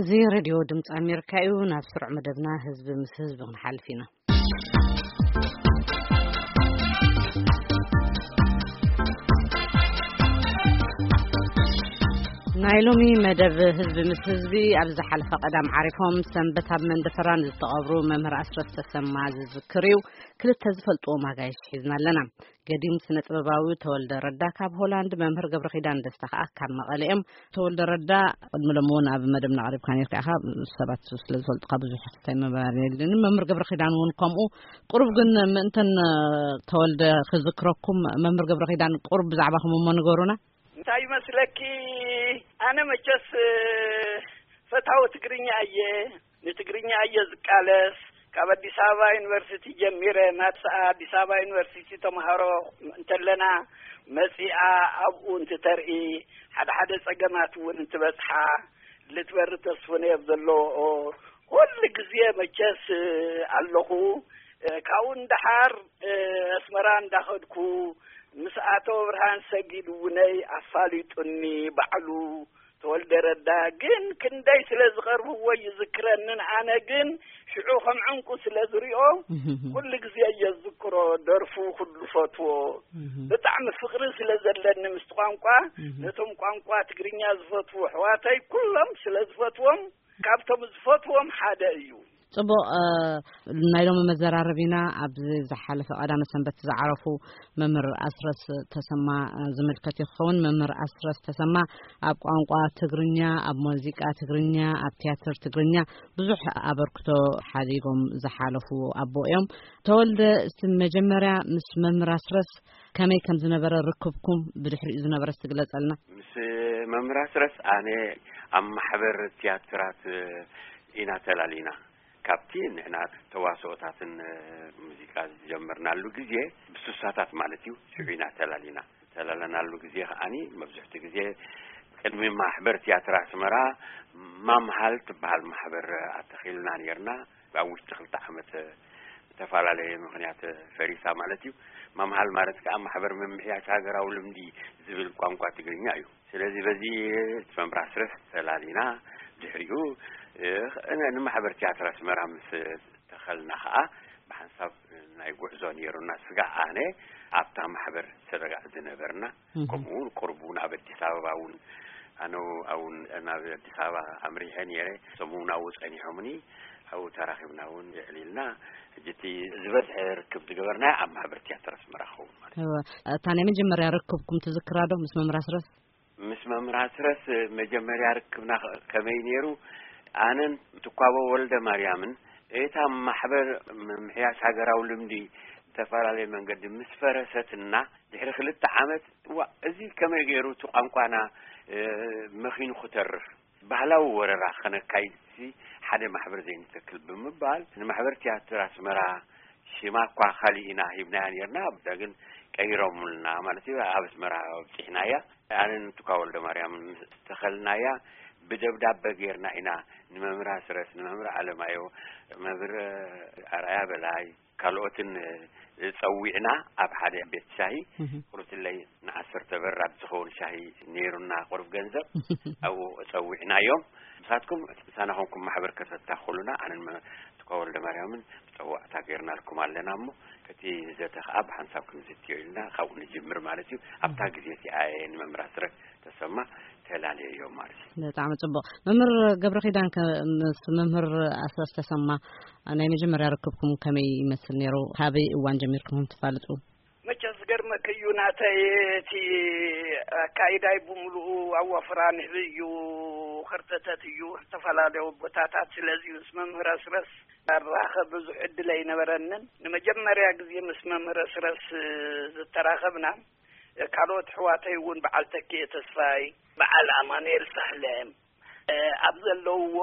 እዚ ሬድዮ ድምፂ ኣሜሪካ እዩ። ናብ ስሩዕ መደብና ህዝቢ ምስ ህዝቢ ክንሓልፍ ኢና። ናይ ሎሚ መደብ ህዝቢ ምስ ህዝቢ፣ ኣብ ዝሓለፈ ቀዳም ዓሪፎም ሰንበት ኣብ መንደፈራ ንዝተቐብሩ መምህር ኣስረስ ተሰማ ዝዝክር እዩ። ክልተ ዝፈልጥዎም ኣጋይሽ ሒዝና ኣለና። ገዲም ስነ ጥበባዊ ተወልደ ረዳ ካብ ሆላንድ፣ መምህር ገብረ ኪዳን ደስታ ከኣ ካብ መቐለ እዮም። ተወልደ ረዳ፣ ቅድሚ ሎሚ እውን ኣብ መደብና ቀሪብካ ነርካ ኢኻ። ሰባት ስለ ዝፈልጡካ ብዙሕ ክስታይ ምባል የድልየኒ። መምህር ገብረ ኪዳን እውን ከምኡ። ቁሩብ ግን ምእንተን ተወልደ ክዝክረኩም፣ መምህር ገብረ ኪዳን ቁሩብ ብዛዕባኹም እሞ ንገሩና። እንታይ ይመስለኪ? ኣነ መቸስ ፈታዊ ትግርኛ እየ። ንትግርኛ እየ ዝቃለስ። ካብ ኣዲስ ኣበባ ዩኒቨርሲቲ ጀሚረ፣ ማትስኣ ኣዲስ ኣበባ ዩኒቨርሲቲ ተምሃሮ እንተለና መጺኣ ኣብኡ እንትተርኢ፣ ሓደ ሓደ ጸገማት እውን እንትበጽሓ ልትበሪ ተስፍነየብ ዘለዎ ኩሉ ግዜ መቸስ ኣለኹ። ካብኡ ንደሓር ኣስመራ እንዳኸድኩ ምስ ኣቶ ብርሃን ሰጊድ እውነይ ኣፋሊጡኒ ባዕሉ። ተወልደ ረዳ ግን ክንደይ ስለ ዝቐርብዎ ይዝክረንን፣ ኣነ ግን ሽዑ ከም ዕንቁ ስለ ዝሪኦ ኩሉ ግዜ እየ ዝዝክሮ። ደርፉ ኩሉ ፈትዎ። ብጣዕሚ ፍቕሪ ስለ ዘለኒ ምስቲ ቋንቋ፣ ነቶም ቋንቋ ትግርኛ ዝፈትዉ ኣሕዋተይ ኩሎም ስለ ዝፈትዎም፣ ካብቶም ዝፈትዎም ሓደ እዩ። ጽቡቕ። እ፣ ናይ ሎሚ መዘራረቢና ኣብዚ ዝሓለፈ ቀዳመ ሰንበት ዝዓረፉ መምህር ኣስረስ ተሰማ፣ እ፣ ዝምልከት እዩ ክኸውን። መምህር ኣስረስ ተሰማ ኣብ ቋንቋ ትግርኛ፣ ኣብ ሙዚቃ ትግርኛ፣ ኣብ ቲያትር ትግርኛ ብዙሕ ኣበርክቶ ሓዲጎም ዝሓለፉ ኣቦ እዮም። ተወልደ፣ እስቲ መጀመርያ ምስ መምህር ኣስረስ ከመይ ከም ዝነበረ ርክብኩም ብድሕሪኡ ዝነበረ እስቲ ግለጸልና። ምስ መምህር ኣስረስ ኣነ ኣብ ማሕበር ቲያትራት ኢና ተላሊና። ካብቲ ንሕና ተዋስኦታትን ሙዚቃ ዝጀመርናሉ ግዜ፣ ብሱሳታት ማለት እዩ፣ ሽዑ ኢና ተላሊና። ተላለናሉ ግዜ ከኣኒ መብዝሕቲ ግዜ ቅድሚ ማሕበር ቲያትር ኣስመራ ማምሃል ትበሃል ማሕበር ኣተኺልና ነርና። ኣብ ውሽጢ ክልተ ዓመት ዝተፈላለየ ምኽንያት ፈሪሳ ማለት እዩ። ማምሃል ማለት ከኣ ማሕበር ምምሕያሽ ሃገራዊ ልምዲ ዝብል ቋንቋ ትግርኛ እዩ። ስለዚ በዚ መምህር ኣስረስ ተላሊና፣ ድሕሪኡ፣ እ፣ ን-፣ ንማሕበር ቲያትር ኣስመራ ምስ ተኸልና ከኣ ብሓንሳብ ናይ ጉዕዞ ነይሩና። ስጋዕ ኣነ ኣብታ ማሕበር ሰደጋዕ ዝነበርና፣ እህ። ከምኡ እውን ቁሩብ እውን ኣብ ኣዲስ ኣበባ እውን ኣነ እውን ናብ ኣዲስ ኣበባ ኣምሪሐ ነይረ። እሶም እውን ኣብኡ ጸኒሖምኒ፣ ኣብኡ ተራኺብና እውን የዕሊልና። ሕጂ እቲ ዝበዝሐ ርክብ ዝገበርናዮ ኣብ ማሕበር ቲያትር ኣስመራ ክኸውን ማለት እዩ። እወ፣ እታ ናይ መጀመርያ ርክብኩም ትዝክራ ዶ ምስ መምህር ኣስረስ? ምስ መምህር ኣስረስ መጀመርያ ርክብና ከ-፣ ከመይ ነይሩ? ኣነን ትኳቦ ወልደ ማርያምን እታ ማሕበር ምምሕያሽ ሃገራዊ ልምዲ ዝተፈላለየ መንገዲ ምስ ፈረሰትና ድሕሪ ክልተ ዓመት፣ "እዋ፣ እዚ ከመይ ገይሩ እቲ ቋንቋና፣ እ፣ መኺኑ ክተርፍ?" ባህላዊ ወረራ ከነካይድሲ ሓደ ማሕበር ዘይንተክል ብምባል፣ ንማሕበር ቲያትር ኣስመራ ሽማ እኳ ካሊእ ኢና ሂብናያ ነርና፣ ግን ቀይሮምልና ማለት እዩ። ኣብ ኣስመራ ኣብጺሕናያ። ኣነን ትኳ ወልደ ማርያምን ምስ ተኸልናያ፣ ብደብዳበ ጌርና ኢና ንመምህር ኣስረስ፣ ንመምህር ኣለማዮ፣ መምህር ኣርኣያ በላይ፣ ካልኦትን ጸዊዕና ኣብ ሓደ ቤት ሻሂ እህ። ቁርትለይ ንዓሰርተ በራድ ዝኸውን ሻሂ ነይሩና፣ ቁሩብ ገንዘብ ኣብኡ ጸዊዕናዮም። ንሳትኩም ምሳና ኮንኩም ማሕበር ከተታኽሉና፣ ኣነን መ-፣ ትኳ ወልደ ማርያምን ጸዋዕታ ጌርናልኩም ኣለና እሞ፣ እቲ ዘተ ኸኣ ብሓንሳብ ክንዝትዮ ኢልና ካብኡ ንጅምር ማለት እዩ። ኣብታ ግዜ እቲኣ እየ ንመምህር ኣስረስ ተሰማ ተላለየዮ ማለት እዩ። ብጣዕሚ ጽቡቕ። መምህር ገብረ ኪዳን ከ ምስ መምህር ኣስረስ ተሰማ ናይ መጀመርያ ርክብኩም ከመይ ይመስል ነይሩ? ካበይ እዋን ጀሚርኩም ትፋልጡ? መቸስ ዝገርመኪ እዩ ናተይ፣ እቲ ኣካይዳይ ብምሉኡ ኣዋፍራ ንህቢ እዩ፣ ከርተተት እዩ፣ ዝተፈላለዩ ቦታታት። ስለዚ ምስ መምህር ኣስረስ ኣራኸብ ብዙሕ ዕድል ኣይነበረንን። ንመጀመርያ ግዜ ምስ መምህር ኣስረስ ዝተራኸብና፣ ካልኦት ኣሕዋተይ እውን በዓል ተኪኤ ተስፋይ፣ በዓል ኣማኑኤል ሳህለ፣ እ፣ ኣብ ዘለውዎ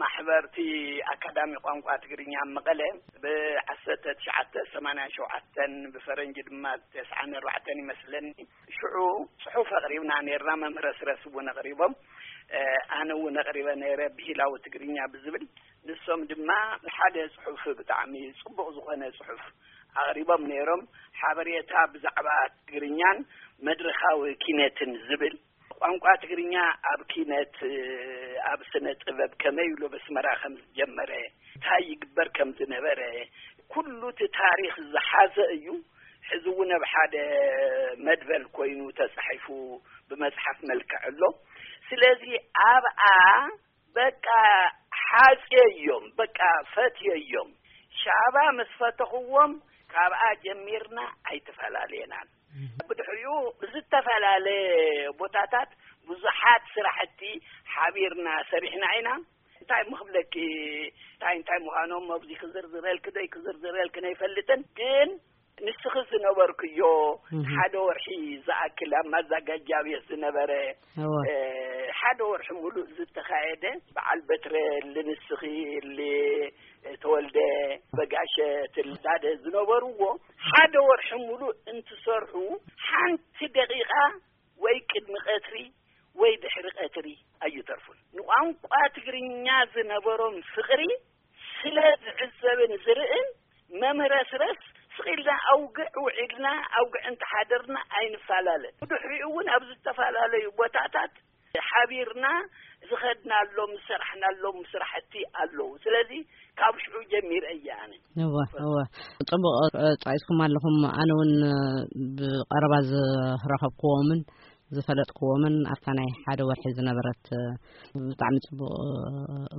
ማሕበርቲ ኣካዳሚ ቋንቋ ትግርኛ ኣብ መቐለ ብዓሰርተ ትሽዓተ ሰማንያን ሸውዓተን ብፈረንጂ ድማ ተስዓን ኣርባዕተን ይመስለኒ። ሽዑ ጽሑፍ ኣቕሪብና ነይርና፣ መምህር ኣስረስ እውን ኣቕሪቦም፣ እ፣ ኣነ እውን ኣቕሪበ ነይረ፣ ብሂላዊ ትግርኛ ብዝብል። ንሶም ድማ ሓደ ጽሑፍ፣ ብጣዕሚ ጽቡቕ ዝኾነ ጽሑፍ ኣቕሪቦም ነይሮም፣ ሓበሬታ ብዛዕባ ትግርኛን መድረኻዊ ኪነትን ዝብል። ቋንቋ ትግርኛ ኣብ ኪነት፣ ኣብ ስነ ጥበብ ከመይ ኢሉ ኣብ ኣስመራ ከም ዝጀመረ፣ እንታይ ይግበር ከም ዝነበረ፣ ኩሉ እቲ ታሪኽ ዝሓዘ እዩ። ሕዚ እውን ኣብ ሓደ መድበል ኮይኑ ተጻሒፉ ብመጽሓፍ መልክዕ ኣሎ። ስለዚ ኣብኣ በቃ ሓጽየዮም፣ በቃ ፈትየዮም። ሻባ ምስ ፈተኽዎም ካብኣ ጀሚርና ኣይተፈላለየናን። ብድሕሪኡ ብዝተፈላለየ ቦታታት ብዙሓት ስራሕቲ ሓቢርና ሰሪሕና ኢና። እንታይ ምኽብለኪ፣ እንታይ እንታይ ምዃኖም ኣብዚ ክዝርዝረልኪ ዶ ክዝርዝረልክን ኣይፈልጥን፣ ግን ንስኺ ዝነበርክዮ እህ። ሓደ ወርሒ ዝኣክል ኣብ ማዛጋጃ ቤት ዝነበረ፣ እወ። እ፣ ሓደ ወርሒ ሙሉእ ዝተኻየደ በዓል በትረ ልንስኺ፣ ል-፣ ተወልደ፣ በጋሸ፣ ትልዳደ ዝነበርዎ ሓደ ወርሒ ሙሉእ እንትሰርሑ ሓንቲ ደቂቓ ወይ ቅድሚ ቀትሪ ወይ ድሕሪ ቀትሪ ኣይተርፉን። ንቋንቋ ትግርኛ ዝነበሮም ፍቕሪ ስለ ዝዕዘብን ዝርእን መምህር ኣስረስ ስቕ ኢልና ኣውግዕ ውዒልና ኣውግዕ እንተሓደርና ኣይንፈላለን። ብድሕሪኡ እውን ኣብ ዝተፈላለዩ ቦታታት ሓቢርና ዝኸድናሎም ዝሰራሕናሎም ስራሕቲ ኣለዉ። ስለዚ ካብ ሽዑ ጀሚረ እየ ኣነ። እወ፣ እወ። ጽቡቕ፣ እ፣ ጻኢስኩም ኣለኹም። ኣነ እውን፣ እ፣ ብቐረባ ዝረኸብክዎምን ዝፈለጥክዎምን ኣብታ ናይ ሓደ ወርሒ ዝነበረት፣ እ፣ ብጣዕሚ ጽቡቕ፣ እ፣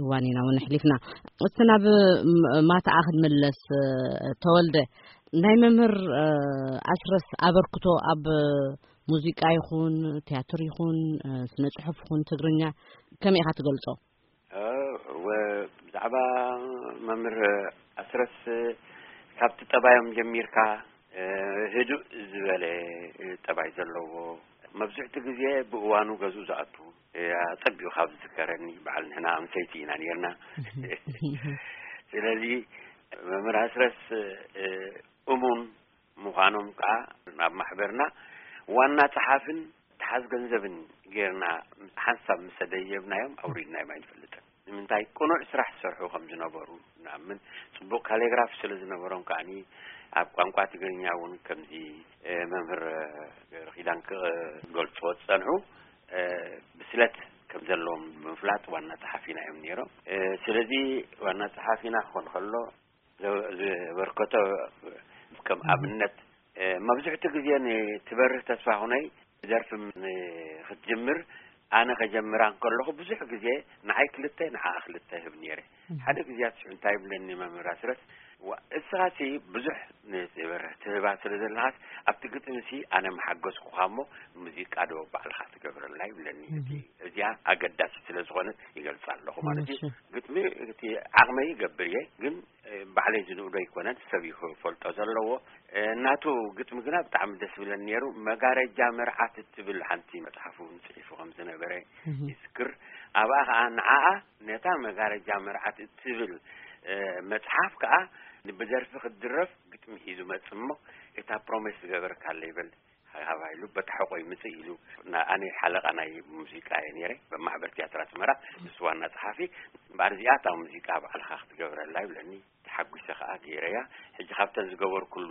እዋን ኢና እውን ኣሕሊፍና። እስቲ ናብ፣ ም-፣ ማታኣ ክንምለስ፣ እ፣ ተወልደ፣ ናይ መምህር፣ እ፣ ኣስረስ ኣበርክቶ ኣብ ሙዚቃ ይኹን፣ ቲያትር ይኹን፣ እ፣ ስነ ጽሑፍ ይኹን፣ ትግርኛ ከመይ ኢኻ ትገልጾ? እ፣ ወ-፣ ብዛዕባ መምህር ኣስረስ፣ ካብቲ ጠባዮም ጀሚርካ፣ እ፣ ህዱእ ዝበለ ጠባይ ዘለዎ፣ መብዝሕቲ ግዜ ብእዋኑ ገዝኡ ዝኣቱ፣ እ፣ ኣጸቢቑ ካብ ዝዝከረኒ፣ በዓል ንሕና ኣምሰይቲ ኢና ነርና። ስለዚ መምህር ኣስረስ፣ እ፣ እሙን ምዃኖም ከኣ ናብ ማሕበርና ዋና ጸሓፍን ተሓዝ ገንዘብን ጌርና ሓንሳብ ምስ ሰደየብናዮም ኣውሪድናዮም ኣይንፈልጥን። ንምንታይ? ቅኑዕ ስራሕ ዝሰርሑ ከም ዝነበሩ ንኣምን። ጽቡቕ ካሊግራፍ ስለ ዝነበሮም ከኣኒ ኣብ ቋንቋ ትግርኛ እውን ከምዚ፣ እ፣ መምህር ገብረኪዳን ክገልጽዎ ዝጸንሑ፣ እ፣ ብስለት ከም ዘለዎም ብምፍላጥ ዋና ጸሓፊና እዮም ነይሮም። እ፣ ስለዚ ዋና ጸሓፊና ክኾን ከሎ ዘ-፣ ዘበርከቶ ከም ኣብነት፣ እ፣ መብዝሕቱ ግዜ ንትበርህ ተስፋ ሁነይ ደርፊ ም-፣ ንክትጅምር ኣነ ከጀምራ እንከለኹ ብዙሕ ግዜ ንዓይ ክልተ ንዓኣ ክልተ ህብ ነይረ። ሓደ ግዜያት ሽዑ እንታይ ይብለኒ መምህር ኣስረስ፣ "ዋ፣ እስኻሲ ብዙሕ ንትበርህ ትህባ ስለ ዘለኻስ ኣብቲ ግጥምሲ ኣነ መሓገዝኩኻ እሞ ሙዚቃ ዶ ባዕልኻ ትገብረላ?" ይብለኒ። እቲ፣ እዚኣ ኣገዳሲ ስለ ዝኾነት ይገልጻ ኣለኹ ማለት እዩ። እሺ። ግጥሚ እቲ ዓቕመይ ይገብር እየ፣ ግን ባዕለይ ዝንእዶ ኣይኮነን፣ ሰብ እዩ ክፈልጦ ዘለዎ። እ፣ ናቱ ግጥሚ ግና ብጣዕሚ ደስ ብለን ነይሩ። መጋረጃ መርዓት እትብል ሓንቲ መጽሓፍ እውን ጽሒፉ ከም ዝነበረ እህ። ይዝክር። ኣብኣ ኸዓ ንዓኣ ነታ መጋረጃ መርዓት እትብል፣ እ፣ መጽሓፍ ከኣ ብደርፊ ክትድረፍ ግጥሚ ሒዙ መጽእ እሞ፣ እታ ፕሮሜስ ዝገበርካለይ በል ሃባ ኢሉ በታ ሕቖይ ምጽእ ኢሉ፣ ና-፣ ኣነ ሓለቓ ናይ ሙዚቃ እየ ነይረ፣ ማሕበር ትያትር ኣስመራ፣ ንሱ ዋና ጸሓፊ። እምበኣር እዚኣ እታ ሙዚቃ ባዕልኻ ክትገብረላ ይብለኒ። ተሓጒሰ ከኣ ገይረያ። ሕጂ ካብተን ዝገበርኩሉ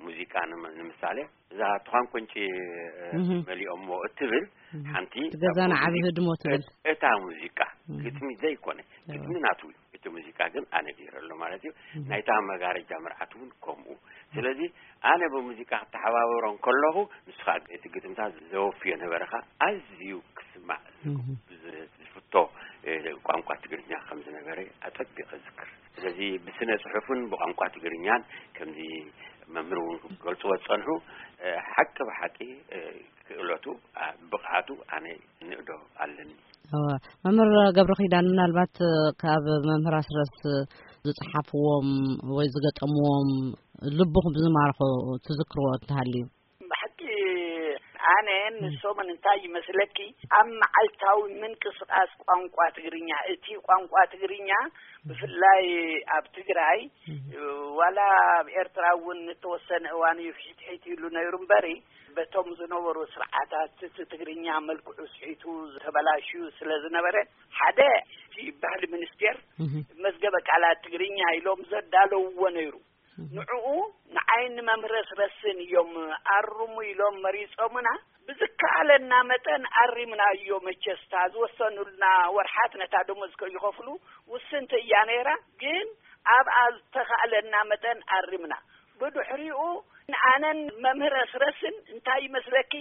ሙዚቃ ንመ-፣ ንምሳሌ፣ እዛ ትዃን ቁንጪ፣ እ፣ እህ። መሊኦሞ እትብል እህ። ሓንቲ እቲ ገዛና ካብ ዓቢ ሙዚቃ ህድሞ ትብል። እታ ሙዚቃ እህ። ግጥሚ ዘይኮነ፣ እህ። ግጥሚ ናቱ እዩ። እቲ ሙዚቃ ግን ኣነ ገይረሉ ማለት እዩ። እህ። ናይታ መጋረጃ መርዓት እውን ከምኡ። ስለዚ ኣነ ብሙዚቃ ክተሓባበሮ እንከለኹ፣ ንሱ ኸኣ እቲ ግጥምታት ዘወፍዮ ነበረ ኸኣ ኣዝዩ ክስማዕ እህ። ዝ-፣ ዝፍቶ፣ እ፣ ቋንቋ ትግርኛ ከም ዝነበረ ኣጸቢቐ እዝክር። ስለዚ ብስነ ጽሑፍን ብቋንቋ ትግርኛን ከምዚ መምህር እውን ክገልጽዎ ዝጸንሑ፣ እ፣ ሓቂ ብሓቂ፣ እ፣ ክእለቱ፣ ኣ፣ ብቕዓቱ ኣነ ንእዶ ኣለኒ። እወ፣ መምህር ገብረ ኪዳን፣ ምናልባት፣ እ፣ ካብ መምህር ኣስረስ ዝጸሓፍዎም ወይ ዝገጠምዎም ልብኹም ዝማርኹ ትዝክርዎ እንተሃልዩ? ብሓቂ ኣነ ንሶምን እንታይ ይመስለኪ፣ ኣብ መዓልታዊ ምንቅስቓስ ቋንቋ ትግርኛ፣ እቲ ቋንቋ ትግርኛ ብፍላይ ኣብ ትግራይ፣ ዋላ ኣብ ኤርትራ እውን ንተወሰነ እዋን እዩ ሒትሒት ኢሉ ነይሩ እምበሪ፣ በቶም ዝነበሩ ስርዓታት እቲ ትግርኛ መልክዑ ስሒቱ ተበላሽዩ ስለ ዝነበረ፣ ሓደ እቲ ባህሊ ሚኒስቴር እህ። መዝገበ ቃላት ትግርኛ ኢሎም ዘዳለውዎ ነይሩ። ንዕኡ ንዓይን ንመምህር ኣስረስን እዮም ኣርሙ ኢሎም መሪጾምና። ብዝከኣለና መጠን ኣሪምናዮ። መቸስታ ዝወሰኑልና ወርሓት ነታ ደሞዝ ከይኸፍሉ ውስንቲ እያ ነይራ። ግን ኣብኣ ዝተኻእለና መጠን ኣሪምና። ብድሕሪኡ ኣነን መምህር ኣስረስን እንታይ ይመስለኪ፣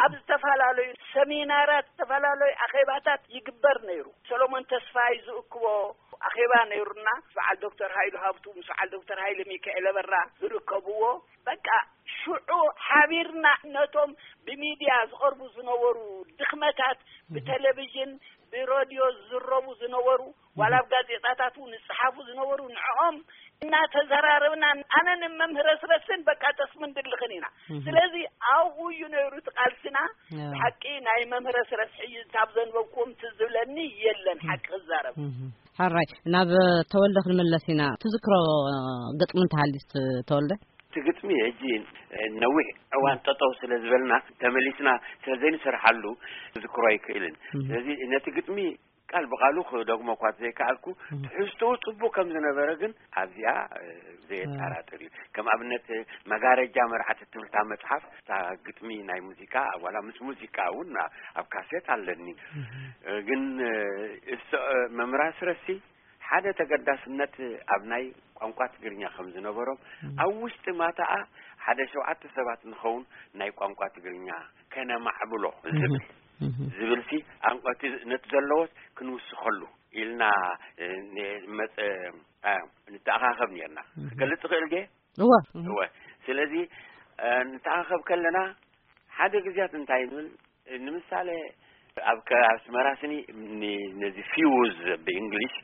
ኣብ ዝተፈላለዩ ሰሚናራት፣ ዝተፈላለዩ ኣኼባታት ይግበር ነይሩ። ሰሎሞን ተስፋይ ዝእክቦ ኣኼባ ነይሩና። በዓል ዶክተር ሃይሉ ሃብቱ ምስ በዓል ዶክተር ሃይለ ሚካኤል ኣበራ ዝርከብዎ። በቃ ሽዑ ሓቢርና ነቶም ብሚድያ ዝቐርቡ ዝነበሩ ድኽመታት፣ ብቴሌቪዥን ብሬድዮ ዝዝረቡ ዝነበሩ፣ ዋላ ኣብ ጋዜጣታት እውን ዝጸሓፉ ዝነበሩ፣ ንዕኦም እናተዘራረብና ኣነን መምህር ኣስረስን በቃ ጠስምን ድልኽን ኢና። ስለዚ ኣብኡ እዩ ነይሩ እቲ ቃልስና። ብሓቂ ናይ መምህር ኣስረስ ሕጂ እንታብ ዘንበብኩም ትዝ ዝብለኒ የለን፣ ሓቂ ክዛረብ። ሕራይ፣ ናብ ተወልደ ክንምለስ ኢና። ትዝክሮ ግጥሚ እንተሃልዩስ ተወልደ? እቲ ግጥሚ ሕጂ ነዊሕ እዋን ጠጠው ስለ ዝበልና፣ ተመሊስና ስለ ዘይንሰርሓሉ ክዝክሮ ኣይክእልን። ስለዚ ነቲ ግጥሚ ቃል ብቃሉ ክደግሞ እኳ ዘይከኣልኩ፣ ትሕዝትኡ ጽቡቅ ከም ዝነበረ ግን ኣብዚኣ ዘየጠራጥር እዩ። ከም ኣብነት መጋረጃ መርዓት እትብል እታ መጽሓፍ፣ እታ ግጥሚ ናይ ሙዚቃ፣ ዋላ ምስ ሙዚቃ እውን ኣብ ካሴት ኣለኒ። ግን እስ መምህር ኣስረሲ ሓደ ተገዳስነት ኣብ ናይ ቋንቋ ትግርኛ ከም ዝነበሮም፣ ኣብ ውሽጢ ማታኣ ሓደ ሸውዓተ ሰባት ንኸውን ናይ ቋንቋ ትግርኛ ከነማዕብሎ ዝብል ዝብልሲ፣ ኣንቆቲ ነቲ ዘለዎስ ክንውስኸሉ ኢልና ንመፀ ንተኣኻኸብ ነርና። ክገልፅ ይኽእል ጌ እወ እወ ስለዚ ንተኣኻኸብ ከለና ሓደ ግዜያት እንታይ ንብል፣ ንምሳሌ ኣብ ኣስመራ ስኒ ነዚ ፊውዝ ብእንግሊሽ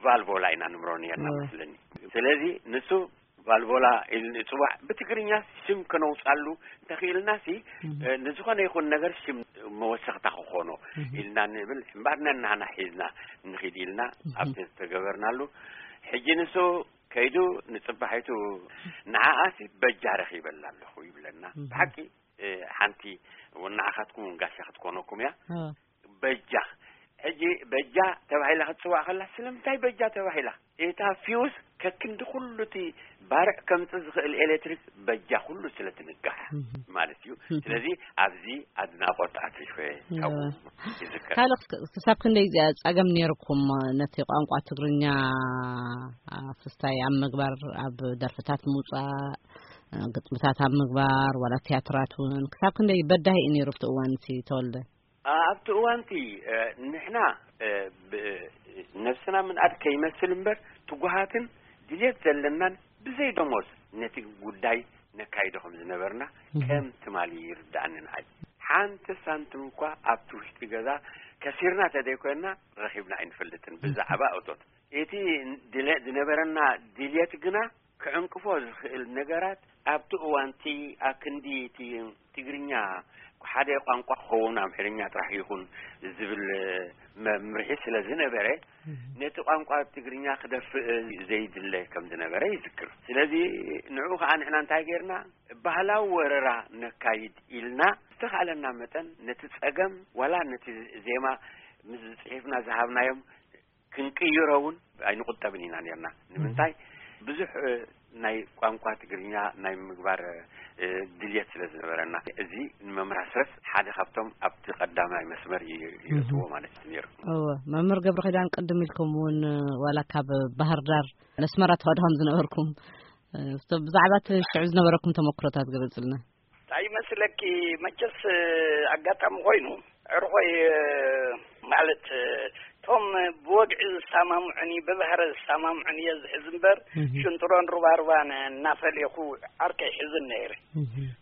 ቫልቮላ ኢና ንምሮ ነርና መስለኒ። ስለዚ ንሱ ቫልቮላ ኢል ንፅዋዕ ብትግርኛ ሽም ከነውፃሉ እንተኽኢልናሲ ንዝኾነ ይኹን ነገር ሽም መወሰኽታ ክኾኖ ኢልና ንብል። እምበኣር ነናህና ሒዝና ንኺድ ኢልና ኣብቲ ዝተገበርናሉ። ሕጂ ንሱ ከይዱ ንፅባሒቱ ንዓኣሲ በጃ ረኺበላ ኣለኹ ይብለና። ብሓቂ ሓንቲ ንዓኻትኩም እውን ጋሻ ክትኮነኩም እያ። በጃ ሕጂ በጃ ተባሂላ ክትፅዋዕ ከላ ስለምንታይ በጃ ተባሂላ? እታ ፊውስ ከክንዲ ኩሉ እቲ ባርዕ ከምፅእ ዝኽእል ኤሌክትሪክ በጃ ኩሉ ስለ ትንጋሕ ማለት እዩ። ስለዚ ኣብዚ ኣድናቆት ኣትሪፈ ካብኡ ይዝከር። ካልእ ክሳብ ክንደይ እዚኣ ጸገም ነይርኩም ነቲ ቋንቋ ትግርኛ ኣፍስታይ ኣብ ምግባር፣ ኣብ ደርፍታት ምውጻእ፣ ግጥምታት ኣብ ምግባር፣ ዋላ ትያትራት እውን ክሳብ ክንደይ በዳሂ እዩ ነይሩ ኣብቲ እዋን እቲ ተወልደ? ኣብቲ እዋንቲ ንሕና ነብስና ምንኣድ ከይመስል እምበር ትጉሃትን ድልየት ዘለናን ብዘይ ደሞዝ ነቲ ጉዳይ ነካይዶ ከም ዝነበርና ከም ትማሊ ይርዳእኒ ንዓይ። ሓንቲ ሳንቲም እኳ ኣብቲ ውሽጢ ገዛ ከሲርና ተደይኮንና ረኺብና ኣይንፈልጥን ብዛዕባ እቶት። እቲ ድለ- ዝነበረና ድልየት ግና ክዕንቅፎ ዝኽእል ነገራት ኣብቲ እዋንቲ ኣክንዲ እቲ ትግርኛ ሓደ ቋንቋ ክኸውን ኣምሕርኛ ጥራሕ ይኹን ዝብል መምርሒ ስለ ዝነበረ ነቲ ቋንቋ ትግርኛ ክደፍእ ዘይድለ ከም ዝነበረ ይዝክር። ስለዚ ንዕኡ ከዓ ንሕና እንታይ ጌርና ባህላዊ ወረራ ነካይድ ኢልና ዝተኻእለና መጠን ነቲ ጸገም ዋላ ነቲ ዜማ ምስ ጽሒፍና ዝሃብናዮም ክንቅይሮ እውን ኣይንቁጠብን ኢና ነርና። ንምንታይ ብዙሕ ናይ ቋንቋ ትግርኛ ናይ ምግባር ድልየት ስለ ዝነበረና። እዚ ንመምህር ኣስረስ ሓደ ካብቶም ኣብቲ ቀዳማይ መስመር ይእትዎ ማለት እዩ ነይሩ። እወ መምህር ገብረ ኪዳን ቅድም ኢልኩም እውን ዋላ ካብ ባህር ዳር ነስመራ ተኸድኹም ዝነበርኩም ብዛዕባ እቲ ሽዑ ዝነበረኩም ተመክሮታት ገለፅልና። እንታይ ይመስለኪ መቸስ ኣጋጣሚ ኮይኑ ዕርኾይ ማለት እቶም ብወግዒ ዝሰማምዑኒ ብባህረ ዝሰማምዑኒ እየ ዝሕዝ እምበር ሽንጥሮን ሩባሩባን እናፈለኹ ዓርከይ ሕዝን ነይረ።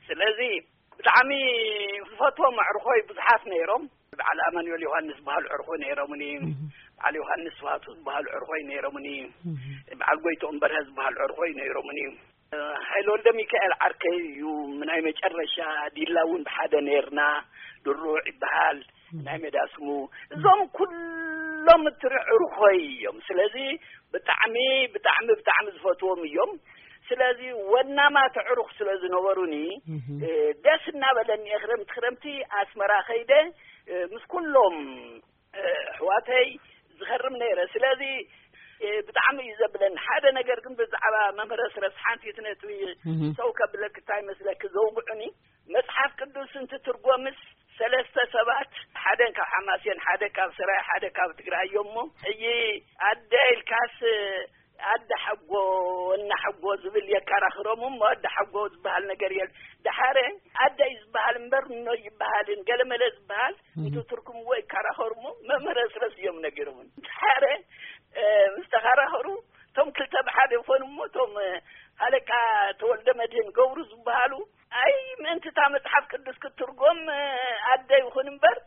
ስለዚ ብጣዕሚ ዝፈትዎም ኣዕርኾይ ብዙሓት ነይሮም። በዓል ኣማኑኤል ዮሃንስ ዝበሃሉ ዕርኾይ ነይሮምኒ። በዓል ዮሃንስ ስብሃቱ ዝበሃሉ ዕርኾይ ነይሮምኒ። በዓል ጎይትኦም በርሀ ዝበሃሉ ዕርኾይ ነይሮምኒ። ሃይለ ወልደ ሚካኤል ዓርከይ እዩ። ናይ መጨረሻ ዲላ እውን ብሓደ ነይርና። ድሩዕ ይበሃል ናይ ሜዳ ስሙ። እዞም ኩሎም እትርኢ ዕርኾይ እዮም። ስለዚ ብጣዕሚ ብጣዕሚ ብጣዕሚ ዝፈትዎም እዮም። ስለዚ ወናማት ዕሩኽ ስለ ዝነበሩኒ ደስ እናበለኒ እየ ክረምቲ ክረምቲ ኣስመራ ከይደ ምስ ኩሎም ኣሕዋተይ ዝኸርም ነይረ። ስለዚ እ፣ ብጣዕሚ እዩ ዘብለኒ። ሓደ ነገር ግን ብዛዕባ መምህር ኣስረስ ሓንቲ ነጥቢ እህ። ሰው ከብለክ እንታይ መስለክ ዘውግዑኒ፣ መጽሓፍ ቅዱስ እንትትርጎምስ ሰለስተ ሰባት፣ ሓደ ካብ ሓማሴን፣ ሓደ ካብ ስራይ፣ ሓደ ካብ ትግራይ እዮም እሞ፣ ሕጂ ኣደ ኢልካስ ኣደ ሓጎ፣ እና ሓጎ ዝብል የከራኽሮም እሞ፣ ኣደ ሓጎ ዝበሃል ነገር የል። ደሓረ ኣደ እዩ ዝበሃል እምበር፣ እኖ ይበሃልን ገለመለ ዝበሃል እህ። እንትትርጉምዎ ይከራኸሩ እሞ፣ መምህር ኣስረስ እዮም ነጊሮምን። ደሓረ፣ እ፣ ምስ ተኸራኸሩ፣ እቶም ክልተ ብሓደ ይኾኑ እሞ፣ እቶም፣ እ፣ ሃለቃ ተወልደ መድህን ገብሩ ዝበሃሉ፣ ኣይ፣ ምእንቲ እታ መጽሓፍ ቅዱስ ክትትርጎም፣ እ፣ ኣደ ይኹን እምበር፣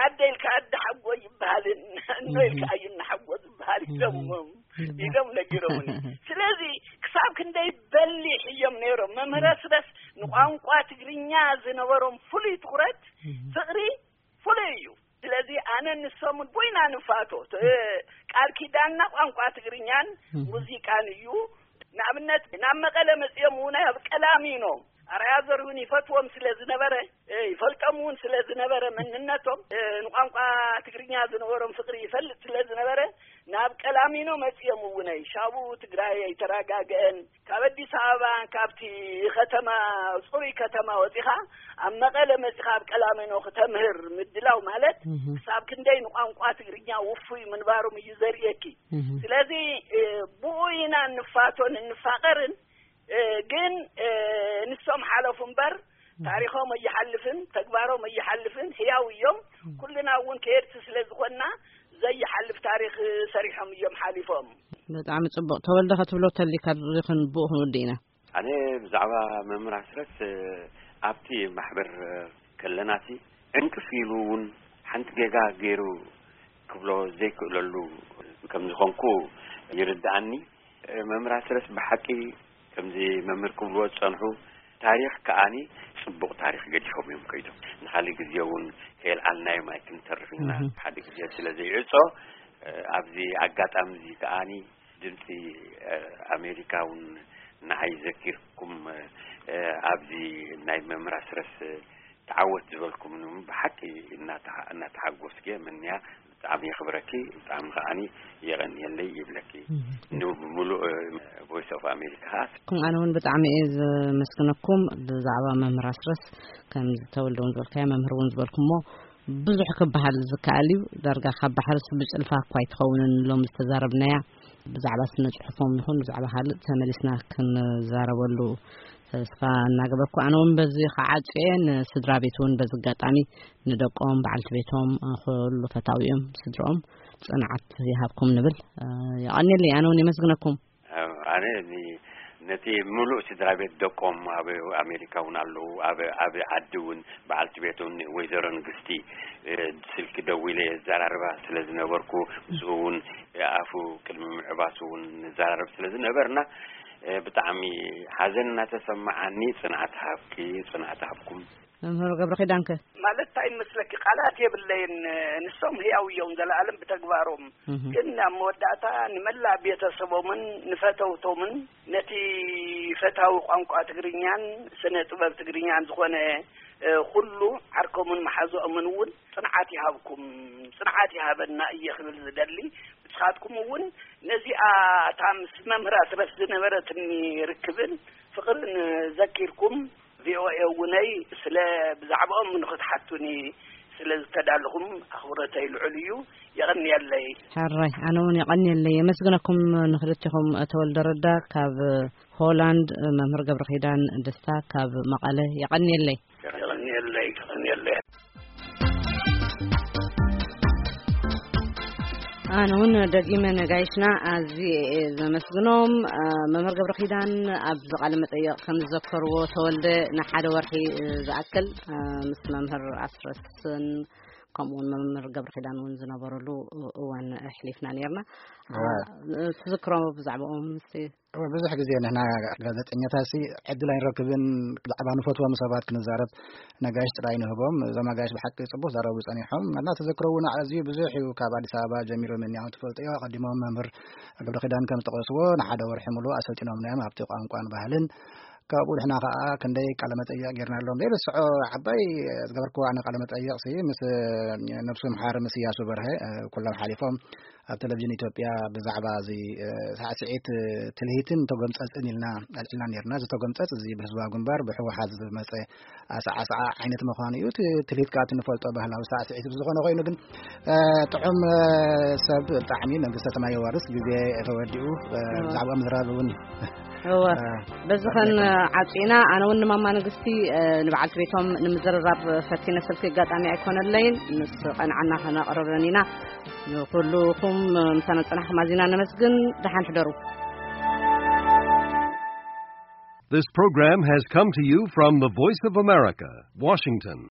ኣደ ኢልካ ኣደ ሓጎ ይበሃልን፣ እኖ ኢልካ እዩ እና ሓጎ ዝበሃል ኢሎሞም፣ እህ። ኢሎም ነጊሮምኒ። ስለዚ ክሳብ ክንደይ በሊሕ እዮም ነይሮም። መምህር ኣስረስ ንቋንቋ ትግርኛ ዝነበሮም ፍሉይ ትኹረት፣ እህ። ፍቕሪ ፍሉይ እዩ። ስለዚ ኣነ ንሶምን ቦይና ንፋቶ። እ፣ ቃል ኪዳንና ቋንቋ ትግርኛን እህ። ሙዚቃን እዩ። ንኣብነት ናብ መቐለ መጺኦም እውን ኣብ ቀላሚኖ ኣርኣያ ዘርሁን ይፈትዎም ስለ ዝነበረ፣ እ፣ ይፈልጦም እውን ስለ ዝነበረ መንነቶም፣ እ፣ ንቋንቋ ትግርኛ ዝነበሮም ፍቕሪ ይፈልጥ ስለ ዝነበረ ናብ ቀላሚኖ መጺኦም እውነይ። ሻቡ ትግራይ ኣይተረጋግአን። ካብ ኣዲስ ኣበባ ካብቲ ከተማ፣ ጽሩይ ከተማ ወጺኻ ኣብ መቐለ መጺኻ ኣብ ቀላሚኖ ክተምህር ምድላው ማለት እህ። ክሳብ ክንደይ ንቋንቋ ትግርኛ ውፉይ ምንባሮም እዩ ዘርእየኪ። እህ። ስለዚ፣ እ፣ ብኡ ኢና እንፋቶን እንፋቐርን። እ፣ ግን፣ እ፣ ንሶም ሓለፉ እምበር ታሪኾም ኣይሓልፍን፣ ተግባሮም ኣይሓልፍን፣ ህያው እዮም። ኩልና እውን ከየድቲ ስለ ዝኾንና ዘይሓልፍ ታሪኽ ሰሪሖም እዮም ሓሊፎም። ብጣዕሚ ጽቡቕ። ተወልደ፣ ከትብሎ ተሊ ካብ እዚ ክን-፣ ብኡ ክንውድእ ኢና። ኣነ ብዛዕባ መምህር ኣስረስ፣ እ፣ ኣብቲ ማሕበር፣ እ፣ ከለናሲ ዕንቅፍ ኢሉ እውን ሓንቲ ጌጋ ገይሩ ክብሎ ዘይክእለሉ ከም ዝኾንኩ ይርድኣኒ። እ፣ መምህር ኣስረስ ብሓቂ ከምዚ መምህር ክብልዎ ዝጸንሑ ታሪኽ ከኣኒ ጽቡቕ ታሪኽ ገዲፎም እዮም ከይዶም። ንኻልእ ግዜ እውን ከየልዓልናዮም ኣይክንተርፍ ኢና። እህ። ሓደ ግዜ ስለ ዘይዕጾ፣ እ፣ ኣብዚ ኣጋጣሚ እዚ ከኣኒ ድምፂ፣ እ፣ ኣሜሪካ እውን ንዓይ ዘኪርኩም፣ እ፣ ኣብዚ ናይ መምህር ኣስረስ ተዓወት ዝበልኩም ብሓቂ እናተሓ-፣ እናተሓጎስኩ እየ። ምንያ ብጣዕሚ የኽብረኪ፣ ብጣዕሚ ከዓኒ የቐንየለይ ይብለኪ። እህ። ንብምሉእ፣ እ፣ ቮይስ ኦፍ ኣሜሪካ ከዓ። ኩም ኣነ እውን ብጣዕሚ እየ ዘመስግነኩም። ብዛዕባ መምህር ኣስረስ ከም ዝተወልደ እውን ዝበልካዮ፣ መምህር እውን ዝበልኩሞ ብዙሕ ክበሃል ዝከኣል እዩ። ዳርጋ ካብ ባሕርስ ብጭልፋ እኳ ኣይትኸውንን ሎም ዝተዛረብናያ። ብዛዕባ ስነ ጽሑፎም ይኹን ብዛዕባ ካልእ ተመሊስና ክንዛረበሉ ተስፋ እናገበርኩ፣ ኣነ እውን በዚ ክዓጹ እየ። ንስድራ ቤት እውን በዚ ኣጋጣሚ ንደቆም፣ በዓልቲ ቤቶም፣ ኩሉ ፈታዊኦም፣ ስድርኦም ጽንዓት ይሃብኩም ንብል። እ፣ የቐንየለይ፣ ኣነ እውን የመስግነኩም። ኣነ ኒ-፣ ነቲ ምሉእ ስድራ ቤት ደቆም ኣብ ኣሜሪካ እውን ኣለዉ፣ ኣብ፣ ኣብ ዓዲ እውን በዓልቲ ቤት እውን ወይዘሮ ንግስቲ፣ እ፣ ስልኪ ደዊለ የዘራርባ ስለ ዝነበርኩ፣ ምስኡ እውን ኣፉ ቅድሚ ምዕባሱ እውን ንዘራረብ ስለ ዝነበርና፣ እ፣ ብጣዕሚ ሓዘን እናተሰማዓኒ፣ ጽንዓት ሃብኪ፣ ጽንዓት ሃብኩም። መምህር ገብረ ኪዳንከ? ማለት እንታይ ይመስለኪ፣ ቃላት የብለይን። ንሶም ህያው እዮም፣ ዘለኣለም ብተግባሮም። እህ። ግን ኣብ መወዳእታ ንመላእ ቤተሰቦምን ንፈተውቶምን ነቲ ፈታዊ ቋንቋ ትግርኛን ስነ ጥበብ ትግርኛን ዝኾነ፣ እ፣ ኩሉ ዓርኮምን መሓዝኦምን እውን ጽንዓት ይሃብኩም፣ ጽንዓት ይሃበና እየ ክብል ዝደሊ። ንስኻትኩም እውን ነዚኣ እታ ምስ መምህር ኣስረስ ዝነበረትኒ ርክብን ፍቕርን ዘኪርኩም፣ ቪ ኦ ኤ እውነይ ስለ ብዛዕባኦም ንኽትሓቱኒ ስለ ዝተዳለኹም ኣኽብሮተይ ልዑል እዩ። የቐንየለይ። ሕራይ፣ ኣነ እውን የቐንየለይ። የመስግነኩም ንኽልቲኹም፣ ተወልደ ረዳ ካብ ሆላንድ፣ መምህር ገብረ ኪዳን ደስታ ካብ መቐለ። የቐንየለይ። የቐንየለይ፣ የቐንየለይ። ኣነ እውን ደጊመ ነጋይሽና ኣዝየ እየ ዘመስግኖም። እ፣ መምህር ገብረ ኪዳን ኣብዚ ቃለ መጠይቕ ከም ዝዘከርዎ፣ ተወልደ ንሓደ ወርሒ፣ እ፣ ዝኣክል፣ እ፣ ምስ መምህር ኣስረስን ከምኡ እውን መምህር ገብረ ኪዳን እውን ዝነበረሉ እዋን ኣሕሊፍና ነይርና። እዋ። እ፣ ትዝክሮ ብዛዕባኦም ምስቲ እወ፣ ብዙሕ ግዜ ንሕና ጋዜጠኛታትሲ ዕድል ኣይንረክብን፣ ብዛዕባ ንፈትዎም ሰባት ክንዛረብ ነጋሽ ጥራይ ንህቦም። እዞም ኣጋይሽ ብሓቂ ጽቡቕ ዛረቡ ጸኒሖም። እና ተዘክሮ እውን ኣዝዩ ብዙሕ እዩ። ካብ ኣዲስ ኣበባ ጀሚሮም እዮም ትፈልጥዮ። ኣቐዲሞም መምህር ገብረ ኪዳን ከም ዝጠቐስዎ ንሓደ ወርሒ ሙሉእ ኣሰልጢኖምና እዮም ኣብቲ ቋንቋን ባህልን። ካብኡ ንሕና ከዓ ክንደይ ቃለ መጠይቕ ጌርናሎም። ዘይርስዖ ዓባይ ዝገበርክዎ ኣነ ቃለ መጠይቕ ሲ ምስ ነብሱ ምሓር ምስ እያሱ በርሀ፣ ኩሎም ሓሊፎም ኣብ ቴሌቪዥን ኢትዮጵያ ብዛዕባ እዚ ሳዕስዒት ትልሂትን ተጎምፀፅን ኢልና ኣልዒልና ነርና። እዚ ተጎምፀፅ እዚ ብህዝባዊ ግንባር ብሕወሓት ዝመፀ ኣሰዓስዓ ዓይነት ምዃኑ እዩ። እቲ ትልሂት ከዓ እቲ ንፈልጦ ባህላዊ ሳዕስዒት ብዝኾነ ኮይኑ ግን ጥዑም ሰብ ብጣዕሚ መንግስተ ሰማይ የዋርስ። ግዜ ተወዲኡ ብዛዕባ ምዝራብ እውን እወ በዚ ኸን ዓፂና ኣነ እውን ንማማ ንግስቲ ንበዓልቲ ቤቶም ንምዝርራብ ፈቲነ ስልኪ ኣጋጣሚ ኣይኮነለይን። ምስ ቀንዓና ከነቕርበን ኢና። ንኩልኹም ምሳና ፅናሕኩም ኣዚና ነመስግን። ደሓን ሕደሩ። This program has come to you from the Voice of America, Washington.